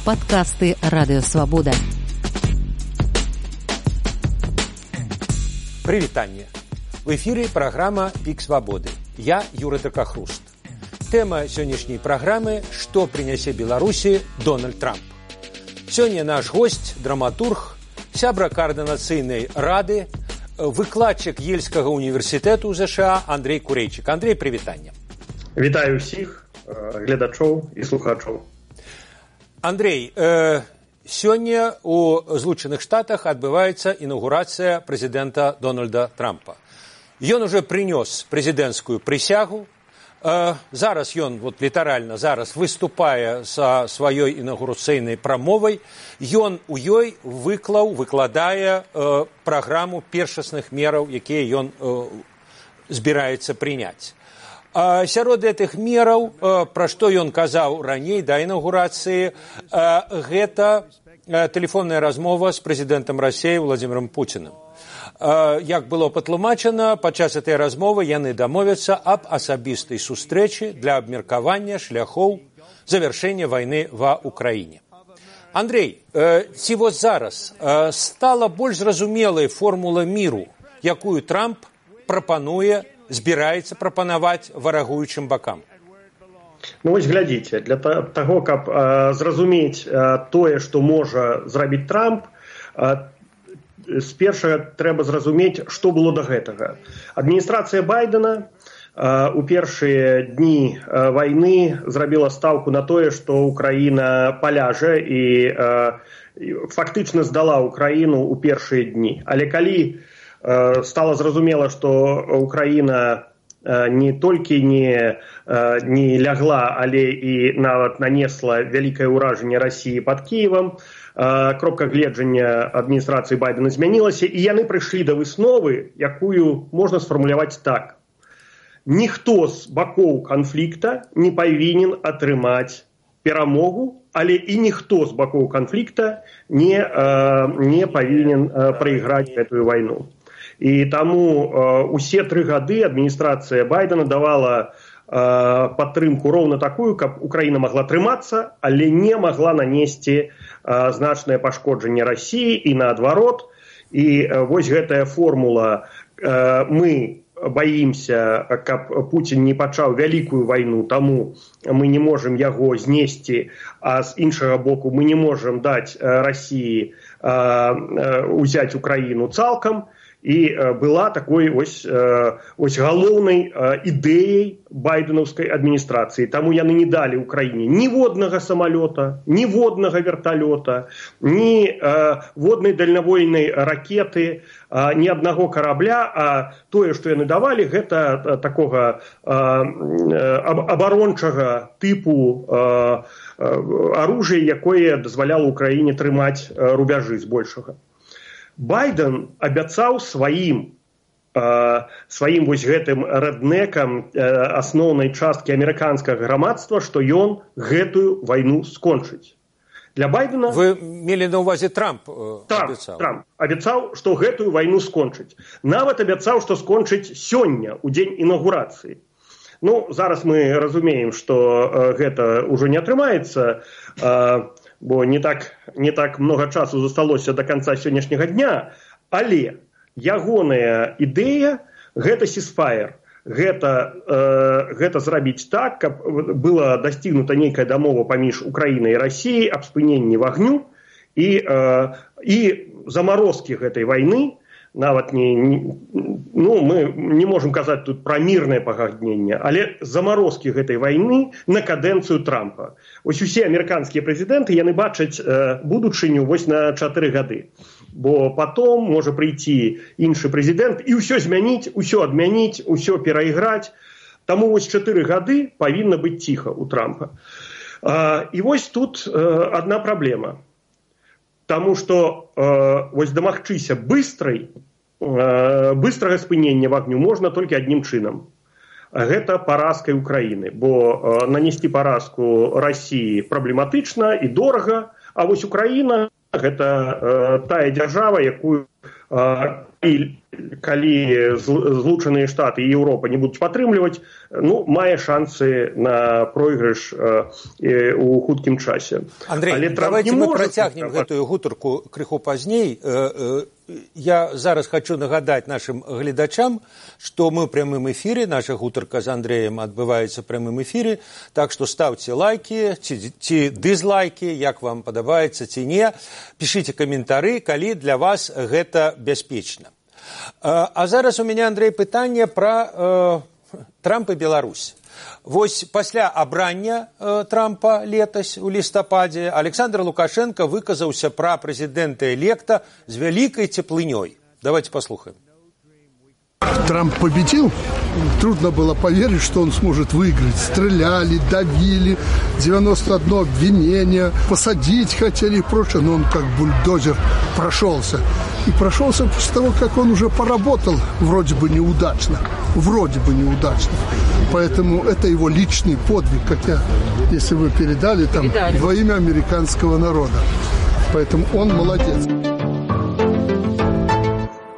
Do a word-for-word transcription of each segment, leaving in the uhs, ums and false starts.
Подкасты «Радио Свобода». Привитание. В эфире программа «Пик Свободы». Я Юра Дракохруст. Тема сегодняшней программы – «Что принесе Беларуси Дональд Трамп?». Сегодня наш гость, драматург, сябра координацыйнай рады, выкладчик Ельскага універсітэту ў ЗША Андрей Курейчык. Андрей, привитание. Вітаю всіх глядачоў і слухачоў. Андрей, э, сёння у Злучаных Штатах адбываецца інаўгурацыя прэзідэнта Дональда Трампа. Ён уже прынёс прэзідэнцкую прысягу. Э, зараз ён, вот літаральна зараз, выступае са сваёй інаўгурацыйнай прамовай. Ён у ёй выклаў, выкладае э, праграму першасных мераў, якія ён э, збіраецца прыняць. А сярод гэтых мераў, пра што ён казаў раней да інаўгурацыі, гэта тэлефонная размова з прэзідэнтам Расіі Владзімірам Пуцінам. Як было патлумачана, падчас гэтай размовы яны дамовяцца аб асабістай сустрэчы для абмеркавання шляхоў завяршэння вайны ва ўкраіне. Андрей, ці вось зараз стала больш зразумелай формула міру, якую Трамп прапануе, збіраецца прапанаваць варагуючым бакам? Ну вось глядзіце, для таго, каб э, зразумець э, тое, што можа зрабіць Трамп, э, спершага трэба зразумець, што было да гэтага. Адміністрацыя Байдена э, у першыя дні э, вайны зрабіла стаўку на тое, што Украіна паляжа і э, фактычна здала Украіну ў першыя дні. Але калі стало зразумела, што Украіна не толькі не, не лягла, але і нават нанесла вялікае ўражанне Расіі пад Кіевам, кропка гледжання адміністрацыі Байдена змянілася, і яны прыйшлі да высновы, якую можна сфармуляваць так. Ніхто з бакоў канфлікта не павінен атрымаць перамогу, але і ніхто з бакоў канфлікта не, не павінен прайграць гэтую вайну. І таму э, усе тры гады адміністрацыя Байдена давала э, падтрымку роўна такую, каб Украіна магла трымацца, але не магла нанесці э, значнае пашкоджанне Расіі і наадварот. І э, вось гэтая формула э, мы баімся, каб Пуцін не пачаў вялікую вайну, таму мы не можам яго знесці, а з іншага боку мы не можам даць э, Расіі э, э, узяць Украіну цалкам. І была такой ось, ось галоўнай ідэяй байденаўскай адміністрацыі. Таму яны не далі Украіне ні воднага самалёта, ні воднага верталёта, ні воднай дальнавойнай ракеты, ні аднаго карабля, а тое, што яны давалі, гэта такога абарончага тыпу аружия, якое дазваляла Украіне трымаць рубяжы збольшага. Байден абяцаў сваім, э, сваім вось гэтым рэднекам э, асноўнай часткі амерыканскага грамадства, што ён гэтую вайну скончыць. Для Байдена... Вы мелі на ўвазе Трамп э, Трамп, абяцаў? Трамп абяцаў, што гэтую вайну скончыць. Нават абяцаў, што скончыць сёння, у дзень інаўгурацыі. Ну, зараз мы разумеем, што э, гэта ўжо не атрымаецца, э, бо не так, не так много часу засталося до конца сённяшняга дня, але ягоная ідэя – гэта сисфайр, гэта, э, гэта зрабіць так, каб была дасцігнута нейкая дамова паміж Украінай і Расіяй аб спыненні вагню і, э, і замарозкі гэтай вайны. Нават не, не, ну, мы не можам казаць тут пра мірнае пагадненне, але замарозкі гэтай вайны на кадэнцыю Трампа. Ось усе амерыканскія прэзідэнты, яны бачаць э, будучыню вось на чатыры гады. Бо потом можа прыйти іншы прэзідэнт і ўсё змяніць, усё адмяніць, усё перайграць. Таму вось чатыры гады павінна быць ціха у Трампа. А, і вось тут э, адна праблема. Таму што э, вось дамагчыся быстрай, э, быстрага спынення вагню можна толькі адным чынам. Гэта паразкай Украіны, бо э, нанесці паразку Расіі праблематычна і дорага, а вось Украіна гэта э, тая дзяржава, якую э, калі, калі Злучаныя Штаты і Еўропа не будуць падтрымліваць, ну, мае шансы на пройгрыш э, у хуткім часе. Андрей, Але давайте мы может... працягнем гэтую гутарку крыху пазней. Я зараз хочу нагадаць нашим гледачам, што мы ў прямым эфіры, наша гутарка з Андреем адбываецца ў прямым эфіры, так што ставце лайки, ці, ці дызлайки, як вам падабаецца, ці не. Пішыце каментары, калі для вас гэта бяспечна. А зараз у мяне, Андрей, пытанне пра э, Трамп і Беларусь. Вось пасля абрання э, Трампа летась у лістападзе Александр Лукашенко выказаўся пра прэзідэнта-электа з вялікай цеплынёй. Давайте послухаем. Трамп победил. Трудно было поверить, что он сможет выиграть. Стреляли, давили, девяносто одно обвинение, посадить хотели и прочее. Но он как бульдозер прошелся. И прошелся после того, как он уже поработал вроде бы неудачно. Вроде бы неудачно. Поэтому это его личный подвиг, как я, если вы передали, там, передали. Во имя американского народа. Поэтому он молодец.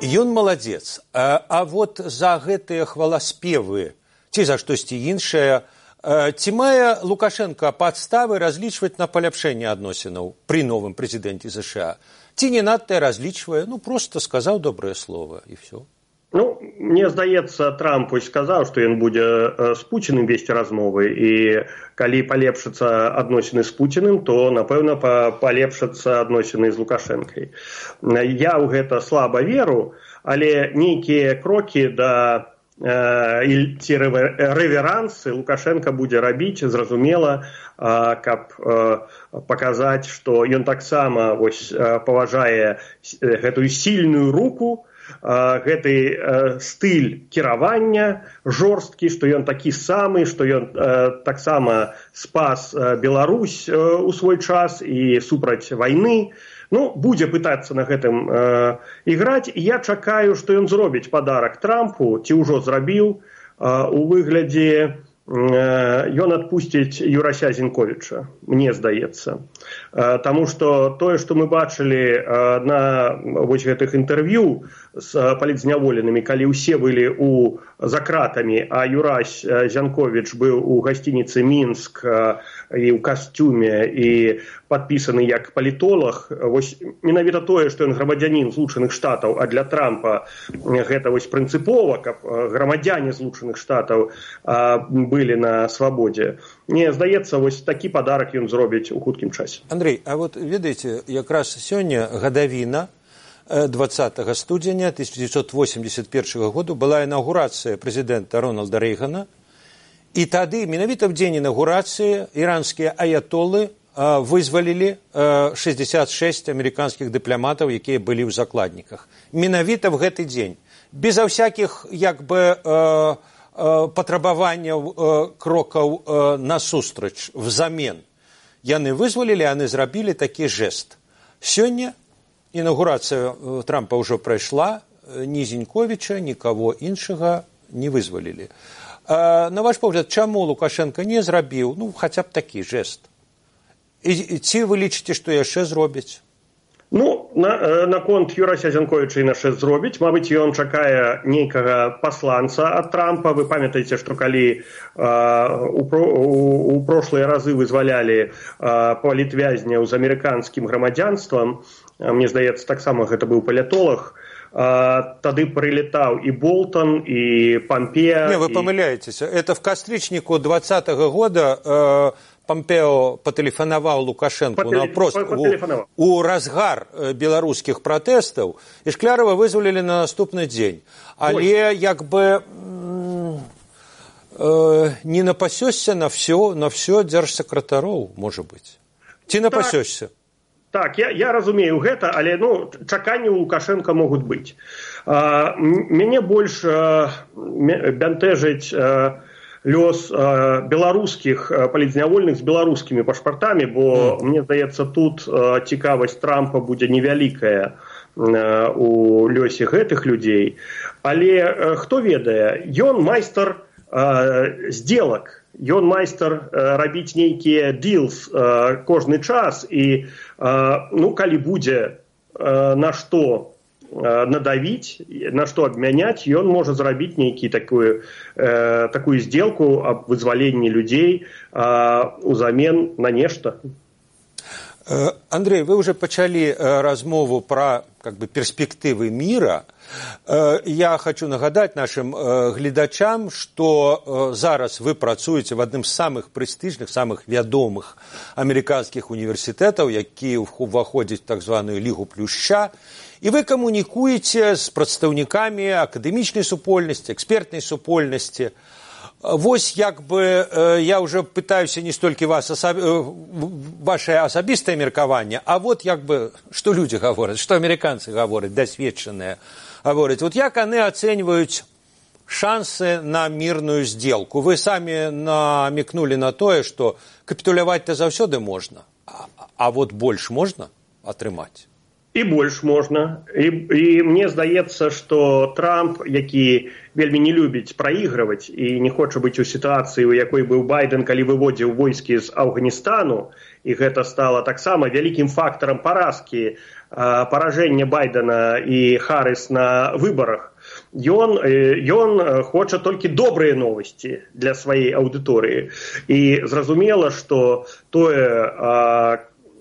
Ён маладзец, а, а вот за гэтыя хваласпевы ці за штосьці іншае, ці мае Лукашенко падставы разлічваць на паляпшэнне адносінаў пры новым прэзідэнце США? Ці не надта разлічвае, ну просто сказаў добрае слово і все. Ну, мне здаецца, Трамп сказаў, што ён будзе з Пуціным весці размовы, і калі палепшацца адносіны з Пуціным, то, напэўна, палепшацца адносіны з Лукашэнкай. Я ў гэта слаба веру, але нейкія крокі да э, ці рэверансы Лукашенко будзе рабіць, зразумела, э, каб э, паказаць, што ён таксама вось, паважае гэтую сільную руку, гэты э, стыль кіравання жорсткі, што ён такі самы, што ён э, таксама спас э, Беларусь э, у свой час і супраць вайны. Ну, будзе пытацца на гэтым э, іграць, і я чакаю, што ён зробіць падарак Трампу, ці ўжо зрабіў, э, у выглядзе ён адпусціць Юрася Зінковіча, мне здаецца. Таму што тое, што мы бачылі на вось гэтых інтэрв'ю з палітзняволенымі, калі ўсе былі у за кратамі, а Юрась Зянковіч быў у гасцініцы Мінск і ў касцюме і падпісаны як палітолог, вось менавіта тое, што ён грамадзянін Злучаных Штатаў, а для Трампа гэта вось прынцыпова, каб грамадзяне Злучаных Штатаў былі на свабодзе. Мне здаецца, вось такі падарак ён зробіць у хуткім часе. Андрей, а вот ведаеце, якраз сёння гадавіна двадцатага студзеня тысяча девятьсот восемьдесят первого году была інаўгурацыя прэзідэнта Рональда Рэйгана, і тады, менавіта в дзень інаўгурацыі, іранскія аятолы вызвалілі шестьдесят шесть амерыканскіх дыпламатаў, якія былі ў закладніках. Менавіта в гэты дзень. Беза всякіх, як бы, патрабаванняў крокаў насустрач, взамен. Яны вызвалілі, яны зрабілі такі жэст. Сёння інаўгурацыя Трампа ўжо прайшла, ні Зінковіча, нікаго іншага не вызвалілі. На ваш погляд, чаму Лукашенко не зрабіў, ну, хаця б такі жэст? І ці вы лічыце, што яшчэ зробіць? Ну, на, наконт Юрася Зянковіча і яшчэ зробіць. Мабыць, ён чакае нейкага пасланца ад Трампа. Вы памятаеце, што калі а, у, у, у прошлыя разы вызвалялі а, палітвязняў з амерыканскім грамадзянствам, а, мне здаецца, таксама гэта быў палітолог, а, тады прилетаў і Болтон, і Помпео. Не, вы памыляецеся. Это в кастрычніку двадцатого года э, Помпео патэлефанаваў Лукашенку Патэле... напрост у, у разгар беларускіх пратэстаў, і Шклярова вызвалілі на наступны дзень. Але Ой. як бы э, не напасёшся на все, на все дзяржсакратароў, можа быць. Ці напасёшся? Так, так я, я разумею гэта, але ну, чаканні у Лукашенка могуць быць. А, мяне больш а, бянтэжыць а, лёс э, беларускіх э, палітзнявольных з беларускімі пашпартамі, бо, mm. мне здаецца, тут э, цікавасць Трампа будзе невялікая э, у лёсе гэтых людзей. Але э, хто ведае, ён майстар э, здзелак, ён майстар э, рабіць нейкія дилс э, кожны час, і э, ну, калі будзе э, на што надавіць, на што абмяняць, ён можа зрабіць нейкі такую, э, такую сделку аб вызваленні людзей э, узамен на нешта. Андрей, вы уже пачалі размову про как бы, перспективы мира. Я хочу нагадать нашим гледачам, что зараз вы працуеце в адным з самых прэстыжных, самых вядомых амерыканскіх універсітэтаў, які ўваходзяць в так званую Лігу Плюшча, і вы камунікуеце з прадстаўнікамі акадэмічнай супольнасці, экспертнай супольнасці. Вось як бы я уже пытаюся не столькі вас асаб... ваше асабістае меркаванне, а вот як бы што людзі гавораць, што амерыканцы гавораць, дасведчаныя гавораць. Вот як яны ацэньваюць шансы на мирную сделку? Вы самі намекнули на тое, што капітуляваць-то заўсёды можна, а, а вот больш можна атрымаць? І больш можна. І, і мне здаецца, што Трамп, які вельмі не любіць праігрываць і не хоча быць у сітуацыі, у якой быў Байден, калі выводзіў войскі з Афганістану, і гэта стала таксама вялікім фактарам паразкі, паражэння Байдена і Харріс на выбарах, ён, ён хоча толькі добрыя новасці для сваёй аўдыторыі. І зразумела, што тое,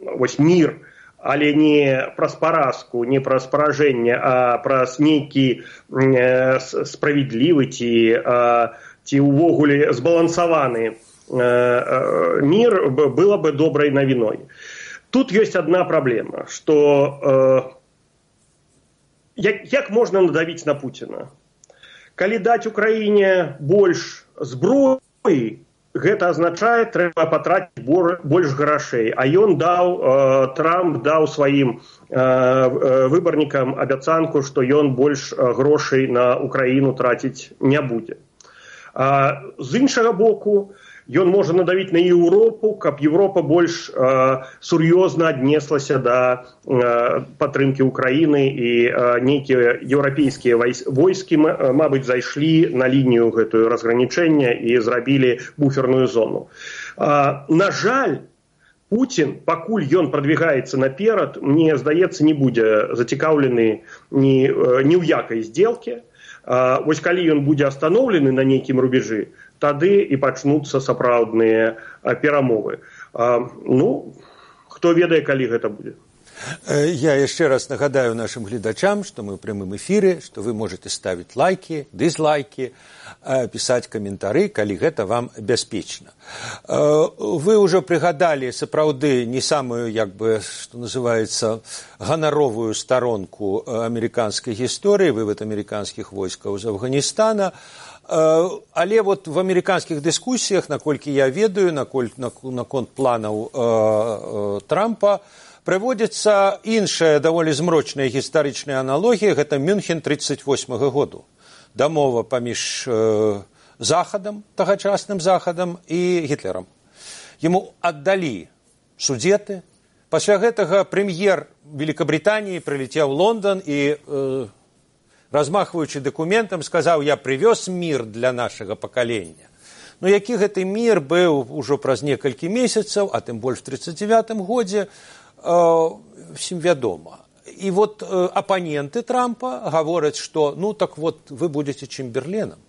вось мір, але не праз паразку, не праз паражэнне, а праз нейкі э, справядлівы ці, э, ці ўвогуле збалансаваны э, э, мір было бы добрай навіной. Тут ёсць адна праблема, што э, як, як можна надавіць на Пуціна? Калі даць Украіне больш зброі, гэта азначае, трэба патраціць больш грашэй. А ён даў, э, Трамп даў сваім э, выбарнікам абяцанку, што ён больш грошай на Украіну траціць не будзе. А, з іншага боку, ён можа надавіць на Еўропу, каб Еўропа больш э, сур'ёзна аднеслася да э, падтрымкі Украіны, і э, нейкія еўрапейскія войскі, мабыць, зайшлі на лінію гэтую разгранічэння і зрабілі буферную зону. Э, на жаль, Путін, пакуль ён прадвігаецца наперад, мне здаецца, не будзе зацікаўлены ні, ні ў якай здзелкі. Э, вось калі ён будзе астаноўлены на нейкім рубежы, тады і пачнуцца сапраўдныя перамовы. Ну, хто ведае, калі гэта будзе. Я яшчэ раз нагадаю нашим гледачам, што мы ў прямым эфіры, што вы можете ставіць лайки, дызлайки, пісаць каментары, калі гэта вам бяспечна. Вы ўжо прыгадалі сапраўды не самую, як бы, што называецца, ганаровую старонку амерыканскай гісторыі, вывод амерыканскіх войскаў з Афганістана. Але вот в амерыканскіх дыскусіях, наколькі я ведаю, наконт планаў э, э, Трампа, прыводзіцца іншая даволі змрочная гістарычная аналогія, гэта Мюнхен тридцать восьмага году. Дамова паміж э, Захадам, тагачасным Захадам і Гітлерам. Яму аддалі судзеты. Пасля гэтага прэм'ер Великабрытаніі прылецеў у Лондан і э, размахваючы дакументам, сказаў, я прывёз мір для нашага пакалення. Ну, які гэты мір быў ужо праз некалькі месяцаў, а тым больш в тридцать девятым годзе, э, всім вядома. І вот э, апаненты Трампа гавораць, што, ну, так вот, вы будзеце Чэмберленам.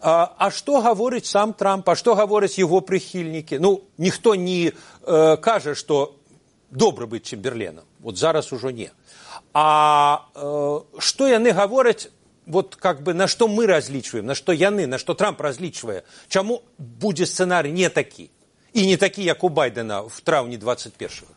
А, а што гаворыць сам Трамп, а што гавораць яго прыхільнікі? Ну, ніхто не э, кажа, што добра быць Чэмберленам. Вот зараз ужо не. А э, што яны гавораць, вот как бы на што мы разлічваем, на што яны, на што Трамп разлічвае, чаму будзе сцэнарый не такі, і не такі, як у Байдена в траўні двадцать першага?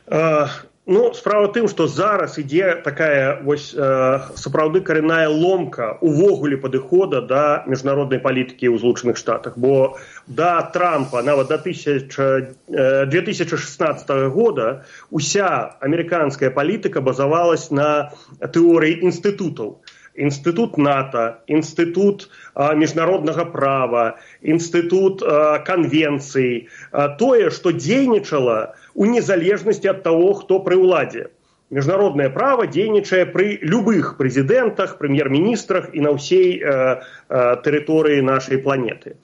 Uh... Ну, справа тым, што зараз ідзе такая вось, э, сапраўды карэнная ломка увогуле падыхода да міжнароднай палітыкі ў Злучаных Штатах. Бо да Трампа, нават да две тысячи шестнадцатого года, уся амерыканская палітыка базавалась на тэорыі інстытутаў. Інстытут НАТО, інстытут а, міжнароднага права, інстытут а, канвенцый, а, тое, што дзейнічала у незалежнасці ад таго, хто пры ўладзе. Міжнароднае права дзейнічае пры любых прэзідэнтах, прэм'ер-міністрах і на ўсей а, а, тэрыторыі нашай планеты.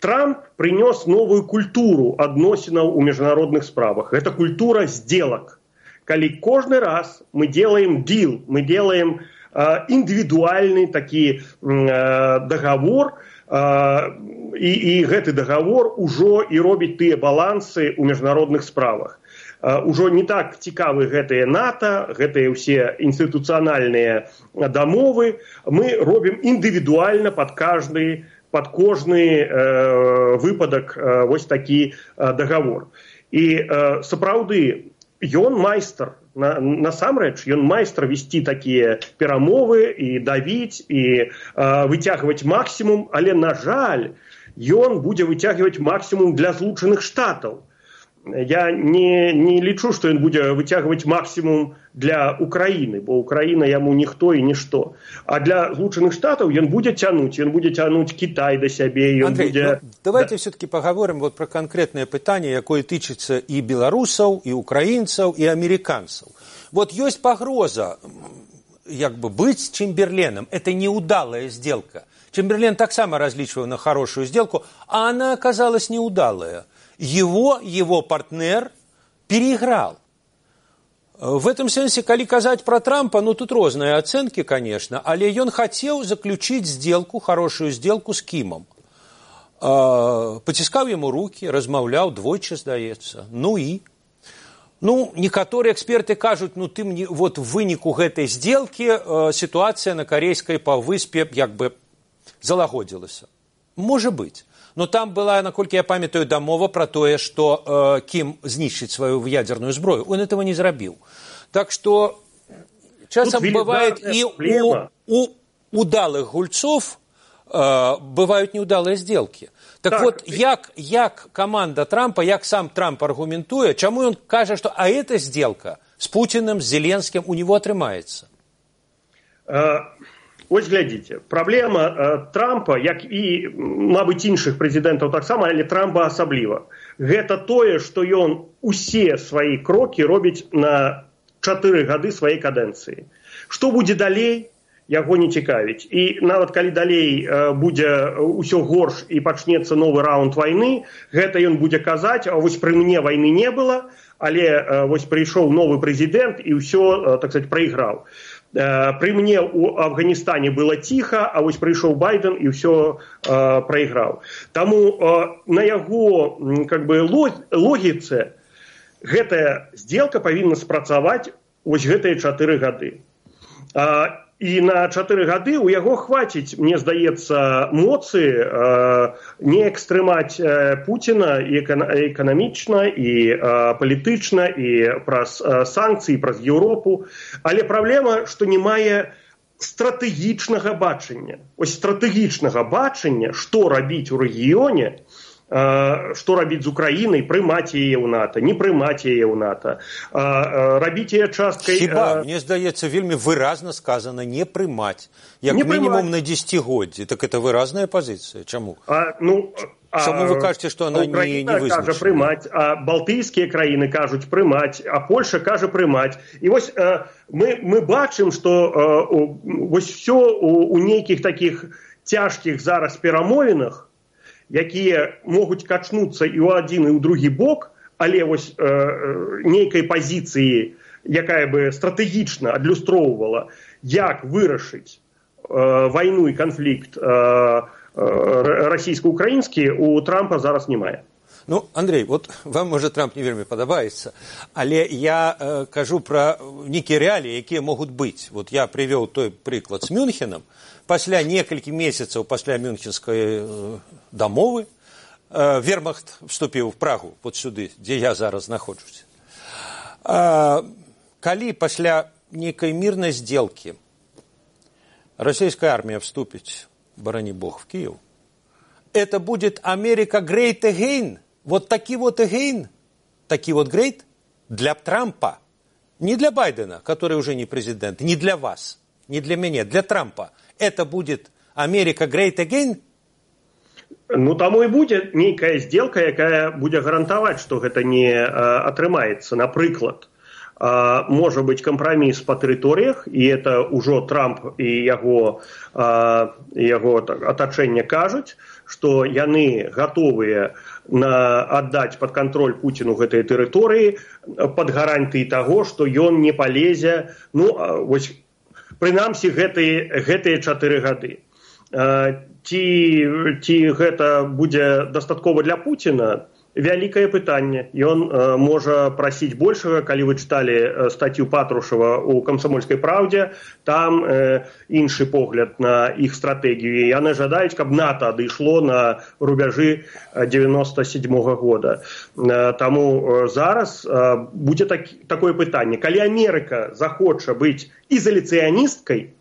Трамп прынёс новую культуру адносінаў у міжнародных справах. Гэта культура здзелак. калі кожны раз мы делаем дил, мы делаем э, индивидуальный такі э, договор, э, і, і гэты договор ужо і робіць тыя балансы ў міжнародных справах. Э, ужо не так цікавы гэтыя НАТО, гэтыя ўсе інстытуцыянальныя дамовы, мы робім індывідуальна пад каждый, пад кожны э, выпадак э, вось такі э, договор. І э, сапраўды, ён майстар, на, насамрэч, ён майстар весці такія перамовы і давіць, і э, выцягваць максімум, але, на жаль, ён будзе выцягваць максімум для Злучаных Штатаў. Я не, не лічу, што ён будзе выцягваць максімум для Украіны, бо Украіна яму ніхто і нішто. А для Злучаных Штатаў ён будзе цянуць, ён будзе цянуць Кітай да сябе. Ён Андрей, будзе... ну, давайте да. все-таки поговорим вот про конкретное пытание, якое тычыцца і беларусаў, і украінцаў, і американцаў. Вот ёсць пагроза, як бы, быть Чемберленом. Это неудалая сделка. Чемберлен таксама различивал на хорошую сделку, а она оказалась неудалая. Его, его партнер переиграл. В этом сенсе, калі казаць про Трампа, ну тут розныя ацэнкі, конечно, але ён хацеў заключить сделку, хорошую сделку с Кімом. Паціскаў яму руки, размаўляў двойчы, здаецца. Ну і? Ну, некаторыя эксперты кажуць, ну ты мне, вот в выніку гэтай сделки э, ситуация на Корейской паўвыспе як бы залагодзілася. Можа быць. Но там была, наколькі я памятаю, дамова про тое, што э, Кім знішчыць сваю ядерную зброю. Он этого не зрабіў. Так что часам бывает и у, у удалых гульцов э, бывают неудалые сделки. Так, так вот, як, як команда Трампа, як сам Трамп аргументуе, чаму он кажа, что а эта сделка с Путиным, с Зеленским у него атрымаецца? Ось глядзіце, праблема э, Трампа, як і, мабыць, іншых прэзідэнтаў таксама, але Трампа асабліва. Гэта тое, што ён усе свае крокі робіць на чатыры гады сваёй кадэнцыі. Што будзе далей, яго не цікавіць. І нават калі далей э, будзе ўсё горш і пачнецца новы раунд вайны, гэта ён будзе казаць, а вось пры мне вайны не было, але э, вось прыйшоў новы прэзідэнт і ўсё, э, так сказать, праіграў. При мне у Афганистане было тихо, а вось прыйшоў Байден и все э, проиграл. Тому э, на яго как бы логіцы гэтая сделка павінна спрацаваць вось гэтыя чатыры гады. А, і на чатыры гады у яго хваціць, мне здаецца, моцы э, не экстрэмаць э, Пуціна і эканамічна, і э, палітычна, і праз э, санкцыі, праз Еўропу. Але праблема, што не мае стратэгічнага бачання. Ось стратэгічнага бачання, што рабіць у рэгіёне, што рабіць з Украінай, прымаць яе ў НАТО, не прымаць яе ў НАТО, рабіць яе часткай... Хіба, мне здаецца, вельмі выразна сказано не прымаць, як не мінімум прымаць. На дзесяцігоддзі. Так это выразная пазіцыя. Чаму? А, ну, Чаму вы кажаце, што она не, не вызначена? Кажа прымаць, а балтыйскія краіны кажуць прымаць, а Польша кажа прымаць. І вось мы, мы бачым, што вось все у, у нейкіх такіх цяжкіх зараз перамовінах, якія могуць качнуцца і ў адзін, і ў другі бок, але вось э, нейкай пазіцыі, якая бы стратэгічна адлюстроўвала, як вырашыць э, вайну і канфлікт э, э, расійска-украінскі, у Трампа зараз не мае. Ну, Андрей, вот вам, можа, Трамп не вельмі падабаецца, але я э, кажу пра нейкія рэаліі, якія могуць быць. Вот я прывёў той прыклад з Мюнхенам. Пасля некалькі месяцаў пасля Мюнхенскай э, дамовы э, Вермахт вступіў в Прагу, вот сюды, дзе я зараз знаходжуся. А, калі пасля нейкай мірнай сделкі расійская армія вступіць, барані Бог, в Киев, это будет Америка great again. Вот таки вот again, таки вот great для Трампа. Не для Байдена, который уже не президент, не для вас, не для меня, для Трампа. Это будет Америка great again? Ну, таму і будзе нейкая сделка, якая будзе гарантаваць, што гэта не э, атрымаецца. Напрыклад, э, можа быць кампраміс па тэрыторыях, і это ўжо Трамп і яго, э, яго атачэнне кажуць, што яны гатовыя на аддаць пад кантроль Пуціну гэтыя тэрыторыі пад гарантыяй таго, што ён не палезе, ну, вось, прынамсі, гэтыя, гэтыя чатыры гады. Ці, ці гэта будзе дастаткова для Пуціна? Вялікае пытанне. Ён э, можа прасіць большага. Калі вы чыталі э, статью Патрушева ў «Камсамольскай праўдзе», там э, іншы погляд на іх стратэгію. Яны жадаюць, каб НАТО адышло на рубяжы девяносто седьмого года. Э, таму э, зараз э, будзе так, такое пытанне. Калі Амерыка захоча быць ізаляцыяністкай,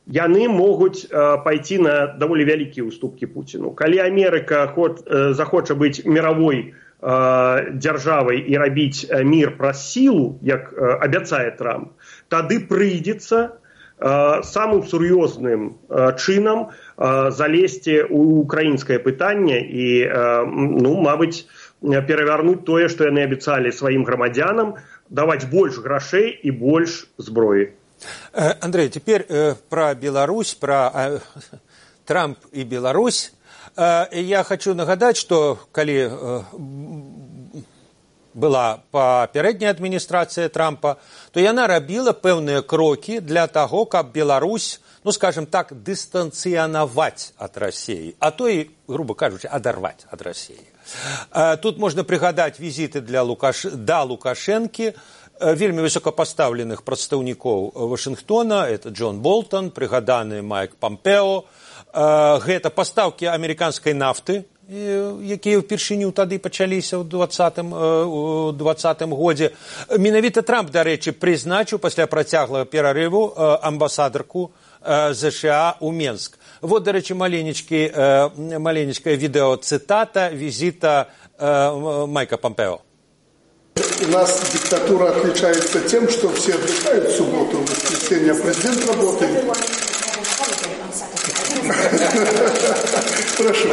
яны могуць э, пайти на даволі вялікія ўступкі Пуціну. Калі Амерыка ход, э, захоча быць мировой э, дзяржавай і рабіць э, мір праз сілу, як э, абяцае Трамп, тады прыйдзецца э, самым сур'ёзным э, чынам э, залезці ў украінскае пытанне і, э, ну, мабыць, перавярнуць тое, што яны абяцалі сваім грамадзянам, даваць больш грошей і больш зброі. Андрей, теперь э, про Беларусь, про э, Трамп и Беларусь. Э, я хочу нагадать, что коли э, была папярэдняя адміністрацыя Трампа, то яна рабіла пэўныя крокі для таго, каб Беларусь, ну, скажем так, дыстанцыянаваць ад России, а то и, грубо кажучи, адарваць ад России. Э, тут можно пригадать визиты для Лукаш... да Лукашэнкі, вельмі высокапастаўленых прадстаўнікоў Вашынгтона, это Джон Болтон, прыгаданы Майк Помпео, гэта пастаўкі амерыканскай нафты, якія ўпершыню тады пачаліся ў двадцатым годзе. Менавіта Трамп, дарэчы, прызначыў пасля працяглага перарыву амбасадарку ЗША ў Менск. Вот, дарэчы, маленечкая відэоцытата візіта Майка Помпео. У нас диктатура отличается тем, что все отдыхают в субботу, в воскресенье, а президент работает. Прошу.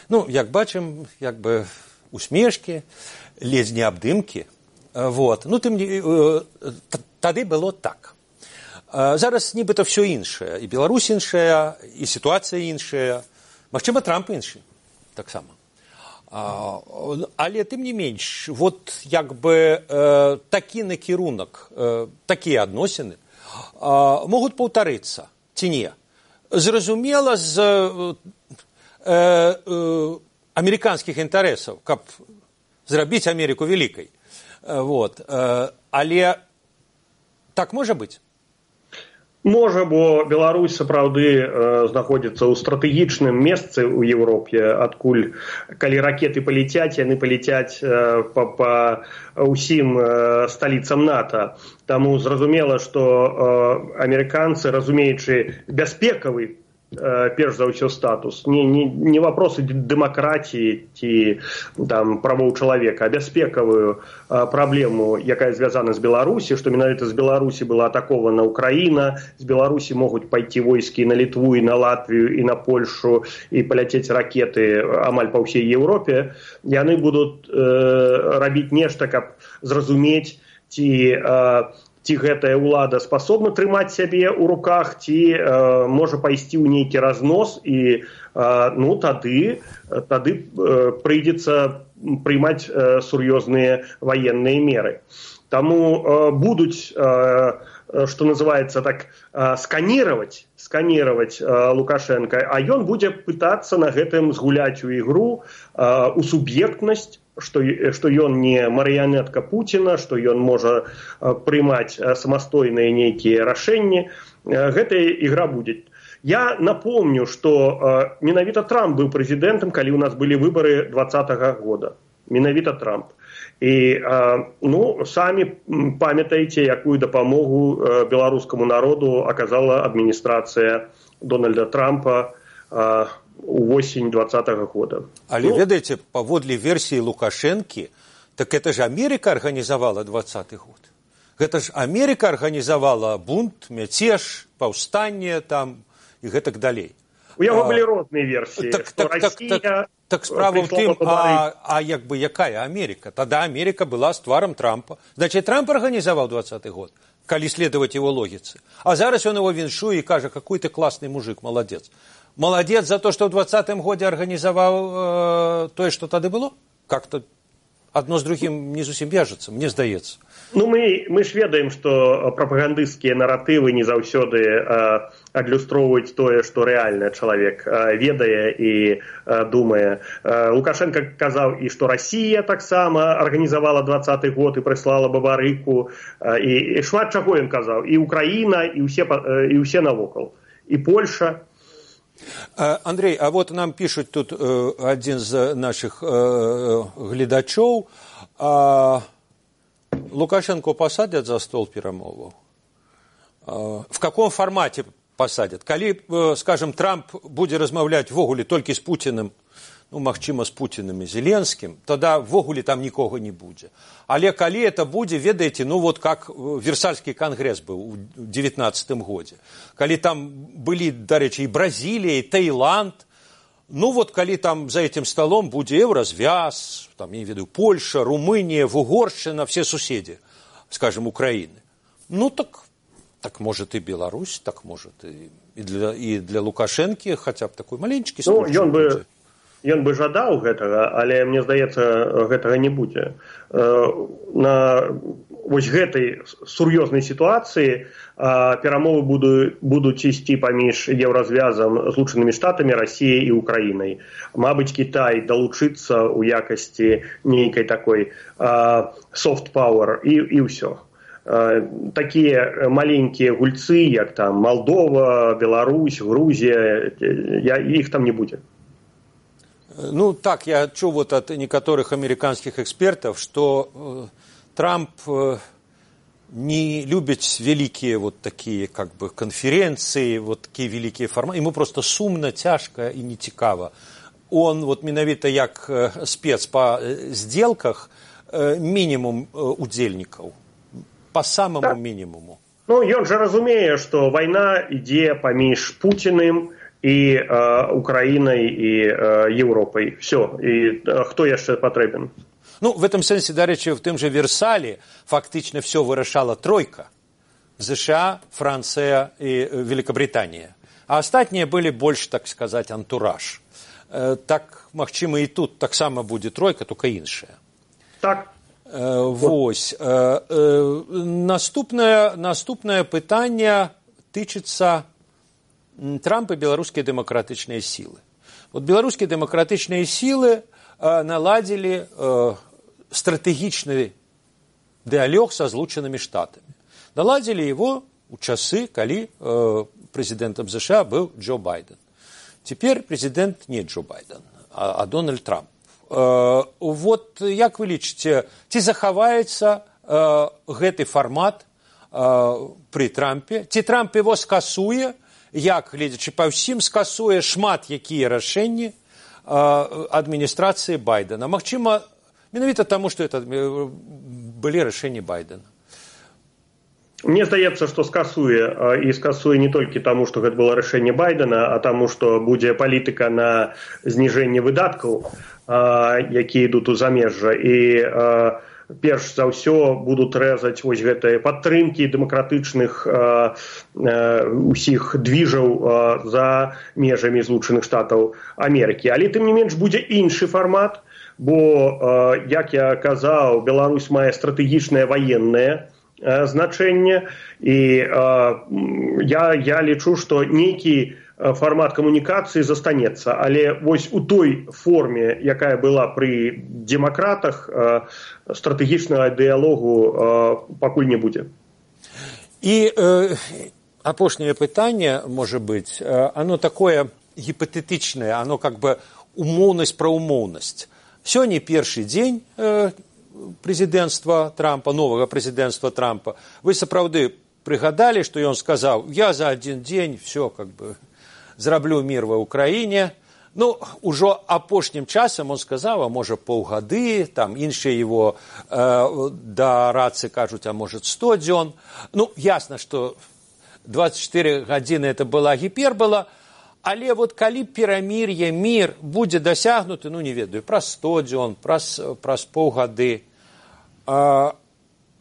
Ну, як бачым, як бы усмешкі, ледзь не абдымкі. Вот. Ну, тым, тады было так. Зараз нібыта все іншае. І Беларусь іншая, і сітуацыя іншая. Магчыма, Трамп іншы. Так само. А, але тым не менш, вот як бы э, такі накірунак, э, такія адносіны э, могуць паўтарыцца, ці не? Зразумела, з э, э, амерыканскіх інтарэсаў, каб зрабіць Амерыку вялікай. Э, вот. э, але так можа быць? Можа, бо Беларусь сапраўды э, знаходзіцца ў стратэгічным месцы ў Еўропе, адкуль, калі ракеты паляцяць, яны паляцяць э, па, па ўсім э, сталіцам НАТО. Таму зразумела, што э, амерыканцы, разумеючы бяспекавы, э, перш за ўсё статус, не, не, не вопросы дэмакратіі ці там, правоў чалавека, а бяспекавую э, праблему, якая звязана з Беларусі, што менавіта з Беларусі была атакована Украіна, з Беларусі могуць пайти войскі на Літву і на Латвію і на Польшу і паляцець ракеты амаль па ўсей Еўропе, яны будуць э, рабіць нешта, каб зразумець, ці э, ці гэтая ўлада спасобна трымаць сябе ў руках, ці э, можа пайсці ў нейкі разнос, і э, ну, тады, тады э, прыйдзецца прымаць э, сур'ёзныя ваенныя меры. Таму э, будуць, э, што называецца так, э, сканировать, сканировать э, Лукашенко, а ён будзе пытацца на гэтым згуляць у ігру, э, у суб'ектнасць, што, што ён не марыянетка Пуціна, што ён можа э, прымаць э, самастойныя нейкія рашэнні. Э, гэтая ігра будзе. Я напомню, што э, менавіта Трамп быў прэзідэнтам, калі ў нас былі выбары двадцатага года. Менавіта Трамп. І э, ну, самі памятаеце, якую дапамогу э, беларускаму народу аказала адміністрацыя Дональда Трампа э, увосень двадцатага года. Але ну, ведаеце, паводле версіі Лукашэнкі, так это ж Америка арганізавала двадцаты год. Гэта ж Америка арганізавала бунт, мяцеж, паўстанне там і гэтак далей. У яго былі розныя версіі. Так, так, так, так, так справа ў тым, а, а як бы якая Америка? Тада Америка была з тварам Трампа. Значит, Трамп арганізаваў двадцаты год, калі следовать его логіцы. А зараз ён его віншуе і кажа, какой ты классный мужик, молодец. Молодец за то, что в двадцатым годзе арганізаваў э, тое, што тады было? Как-то одно з другім не зусім вяжацца, мне здаецца. Ну, мы, мы ж ведаем, што прапагандысцкія наратывы не заўсёды э, адлюстроўваюць тое, што рэальна чалавек э, ведае і э, думае. Э, Лукашенко казаў і што Расія таксама арганізавала двадцаты год і прыслала бабарыку, э, і, і шмат чаго ён казаў, і Украіна, і ўсе, э, і ўсе навокал, і Польша. Андрей, а вот нам пишут тут э, один из наших э, глядачов. Э, Лукашенко посадят за стол перамоваў? Э, в каком формате посадят? Калі, э, скажем, Трамп будзе размаўляць ввогуле толькі з Путиным, ну, магчыма, з Путиным і Зеленским, тогда ввогуле там нікога не будзе. Але калі это будзе, ведаеце, ну вот как Версальскі конгресс быў у девятнадцатым годзе. Калі там былі, дарэчы, і Бразілія, і Таиланд, ну вот калі там за этим столом будзе Еўразвяз, там, я не ведаю, Польша, Румыния, Вугоршчына, все суседи, скажем, Украины. Ну так, так может и Беларусь, так может и, и, для, и для Лукашенки хотя бы такой маленечкі случай. Ну, ён бы... Ён бы жадаў гэтага, але, мне здаецца, гэтага не будзе. На вось гэтай сур'ёзнай сітуацыі перамовы будуць ісці паміж Еўразвязам, Злучанымі Штатамі, Расіяй і Украінай. Мабыць, Кітай далучыцца ў якасці нейкай такой soft power і, і ўсё. Такія маленькія гульцы, як там Малдова, Беларусь, Грузія, іх там не будзе. Ну, так, я чуў вот от некоторых американских экспертов, что э, Трамп э, не любит великие вот такие как бы конференции, вот такие великие форматы. Ему просто сумно, тяжко и не цікаво. Он вот менавіта як э, спец по э, сделках э, минимум э, удзельников, по самому так. минимуму. Ну, ён же разумее, что война ідзе паміж Путиным і э, Украінай і э, Еўропай. Все. І э, хто яшчэ патрэбен? Ну, в этом сенсе, дарэчы, в тым же Версале фактично все вырашала тройка. США, Франция и Великобритания. А астатнія были больше, так сказать, антураж. Э, так, магчыма, и тут таксама будзе тройка, только іншая. Так. Э, вось. Э, э, наступное, наступное пытанне тычыцца Трамп и белорусские демократичные силы. Вот белорусские демократичные силы э, наладили э, стратегичный диалог со Злученными Штатами. Наладили его у часы, коли э, президентом США был Джо Байден. Теперь президент не Джо Байден, а, а Дональд Трамп. Э, вот як вы лічыце, ці захаваецца э, гэты формат э, при Трампе? Ці Трамп его скасуе? Як, гледзячы па ўсім, скасуе шмат якія рашэнні адміністрацыі Байдена. Магчыма, менавіта таму, што это былі рашэнні Байдена. Мне здаецца, што скасуе, і скасуе не толькі таму, што гэта было рашэнне Байдена, а таму, што будзе палітыка на зніжэнне выдаткаў, якія ідуць у замежжа, і перш за ўсё будуць рэзаць вось гэтыя падтрымкі дэмакратычных э, э, усіх двіжаў э, за межамі Злучаных Штатаў Амерыкі. Але тым не менш будзе іншы фармат, бо, э, як я казаў, Беларусь мае стратэгічнае ваеннае э, значэнне, і э, я, я лічу, што нейкі формат камунікацыі застанецца, але вось у той форме, якая была пры демакратах, стратэгічнага дыялогу пакуль не будзе. І э, апошняе пытанне, можа быць, оно такое гіпатэтычнае, оно как бы умоўнасць пра умоўнасць. Сёння першы дзень э, прэзідэнцтва Трампа, новага прэзідэнцтва Трампа. Вы сапраўды прыгадалі, што ён сказаў: я за адзін дзень все как бы зраблю мир ва Украине. Ну, ужо апошнім часам он сказаў, а можа паўгады, там іншыя его э, дарадцы кажуць, а может сто дзён. Ну, ясно, что двадцать четыре гадзіны это была гіпербола, але вот калі перамір'е, мир будзе дасягнуты, ну, не ведаю, праз сто дзён, праз, праз паўгады, э,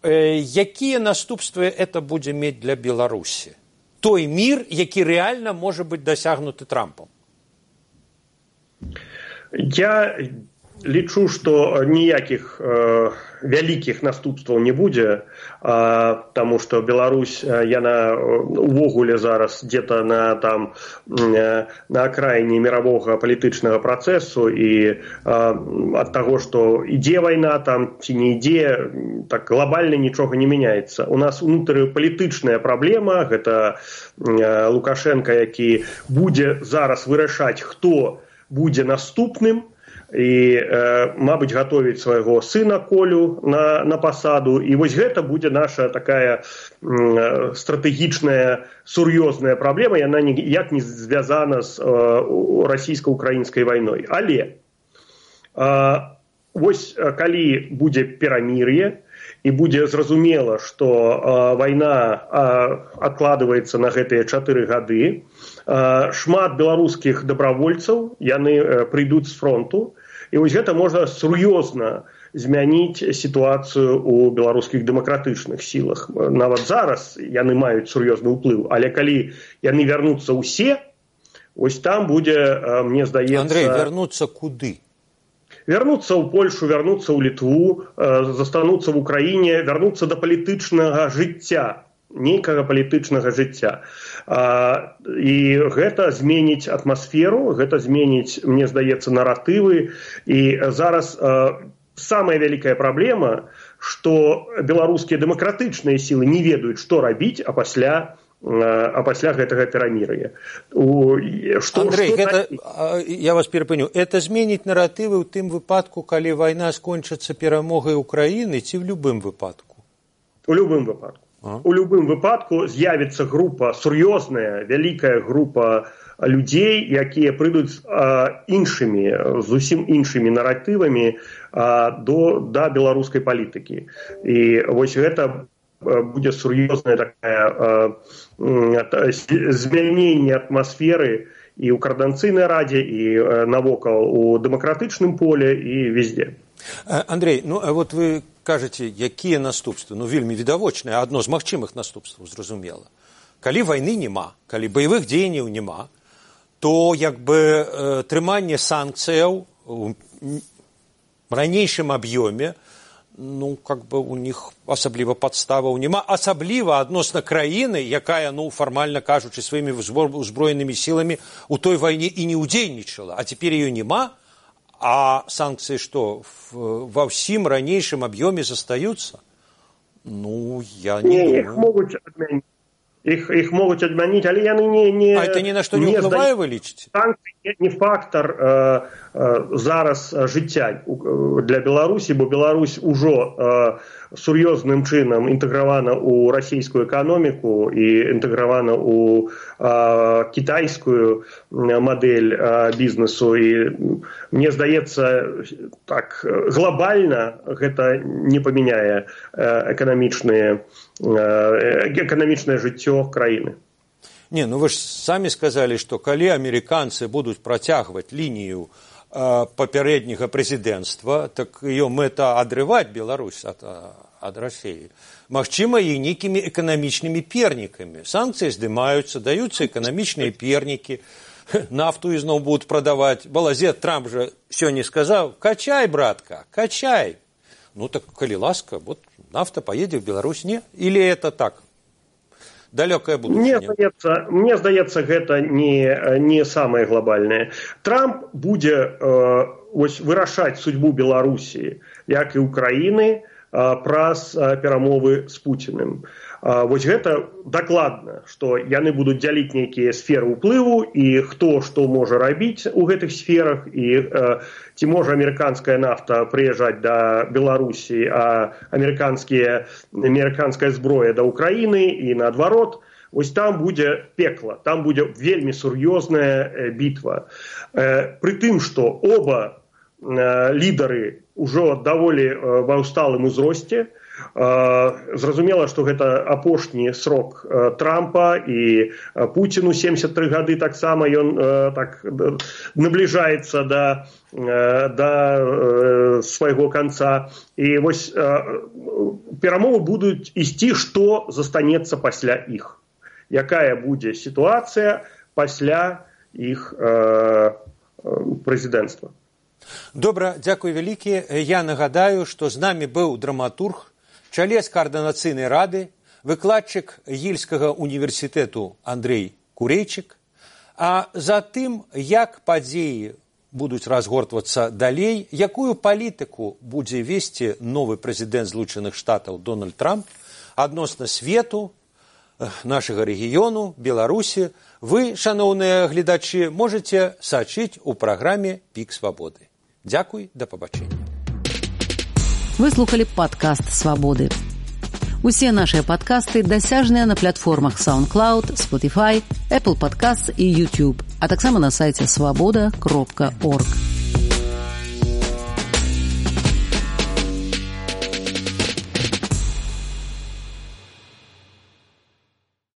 э, якія наступствы это будзе мець для Беларусі? Той мир, які рэальна можа быць дасягнуты Трампом. Я лічу, што ніякіх э, вялікіх наступстваў не будзе, э, таму што Беларусь, яна увогуле зараз где-то на, там, э, на акраіне мировога палітычнага працэсу, і э, ад таго, што ідзе вайна там ці не ідзе, так глобальна нічога не мяняецца. У нас унутрыпалітычная праблема, гэта э, Лукашенко, які будзе зараз вырашаць, хто будзе наступным, і, э, мабыць, гатовіць свайго сына Колю на, на пасаду. І вось гэта будзе наша такая э, стратэгічная, сур'ёзная праблема, яна ніяк не звязана з э, расійска-украінскай вайной. Але э, вось калі будзе перамір'е, і будзе зразумела, што э, вайна э, адкладваецца на гэтыя чатыры гады, э, шмат беларускіх дабравольцаў, яны э, прыйдуць з фронту, і вось гэта можна сур'ёзна змяніць сітуацыю ў беларускіх дэмакратычных сілах. Нават зараз яны маюць сур'ёзны ўплыў, але калі яны вярнуцца ўсе, вось там будзе, э, мне здаецца... Андрей, вярнуцца куды? Вярнуцца ў Польшу, вярнуцца ў Літву, э, застануцца в Украіне, вярнуцца да палітычнага жыцця, нейкага палітычнага жыцця. А, і гэта зменіць атмасферу, гэта зменіць, мне здаецца, наратывы. І зараз а, самая вялікая праблема, што беларускія дэмакратычныя сілы не ведаюць, што рабіць, а пасля, а пасля гэтага перамір'я. Андрей, гэта, я вас перапыню, это зменіць наратывы ў тым выпадку, калі вайна скончыцца перамогай Украіны, ці ў любым выпадку? У любым выпадку. А? У любым выпадку з'явіцца група, сур'ёзная, вялікая група людзей, якія прыйдуць а, іншымі, зусім іншымі наратывамі а, до, да беларускай палітыкі. І вось гэта будзе сур'ёзная такая а, змяненне атмасферы і ў Коордынацыйнай радзе, і а, навокал у дэмакратычным поле, і везде. Андрей, ну а вот вы кажаце, якія наступствы? Ну, вельмі відавочныя, адно з магчымых наступстваў, зразумела. Калі вайны няма, калі баявых дзеянняў няма, то як бы э, трыманне санкцыяў у ранейшым аб'ёме, ну, как бы у них асабліва падставаў няма, асабліва адносна краіны, якая, ну, фармальна кажучы, сваімі узброенымі сіламі у той вайне і не ўдзельнічала, а цяпер ее няма. А санкции что, во всем ранейшем объеме застаются? Ну, я не, не думаю. Их могут отменить. Их, их могут отменить, але яны не... не а это ни на что не уплывае, вы лічыце? Санкции не фактор э, э, зараз жыцця для Беларусі, бо Беларусь ужо э, сур'ёзным чынам інтэгравана ў расійскую эканоміку і інтэгравана ў э, кітайскую мадэль э, бізнесу. І мне здаецца, так, глобальна гэта не памяняе э, эканамічныя эканамічнае жыццё краіны. Не, ну вы ж самі сказалі, што калі амерыканцы будуць працягваць лінію э, папярэдняга прэзідэнцтва, так ее мэта адрываць Беларусь ад, ад Расіі. Магчыма, і нейкімі эканамічнымі пернікамі. Санкцыі здымаюцца, даюцца эканамічныя пернікі, нафту ізноў будуць прадаваць. Балазет Трамп жа сёння сказаў: качай, братка, качай. Ну так, калі ласка, вот нафта поедзе в Беларусь, не? Или это так? Далекое будущее. Мне здаецца, мне здаецца, гэта не, не самае глобальнае. Трамп будзе э, ось, вырашаць судьбу Беларусі, як і Украіны, э, праз э, перамовы з Пуціным. Э, вось гэта дакладна, што яны будуць дзяліць нейкія сферы ўплыву, і хто што можа рабіць у гэтых сферах, і э, ці можа амерыканская нафта прыязджаць да Беларусі, а амерыканская зброя да Украіны і наадварот. Вось там будзе пекла, там будзе вельмі сур'ёзная бітва. Пры тым, што оба лідары ўжо даволі ва ўсталым узросце. Зразумела, што гэта апошні срок Трампа, і Пуціну семьдесят три гады таксама, ён так набліжаецца да, да свайго канца. І вось перамовы будуць ісці, што застанецца пасля іх. Якая будзе сітуацыя пасля іх прэзідэнцтва. Добра, дзякуй вялікі. Я нагадаю, што з намі быў драматург, чалец каардынацыйнай рады, выкладчык Ельскага універсітэту Андрэй Курэйчык. А затым, як падзеі будуць разгортвацца далей, якую палітыку будзе весці новы прэзідэнт Злучаных Штатаў Дональд Трамп адносна свету, нашага рэгіёну, Беларусі, вы, шаноўныя гледачы, можаце сачыць у праграме «Пік свабоды». Дзякуй, да пабачэння. Вы слухали падкаст «Свабоды». Усе нашыя падкасты дасяжныя на платформах SoundCloud, Spotify, Apple Podcasts і YouTube, а таксама на сайце свабода кропка орг.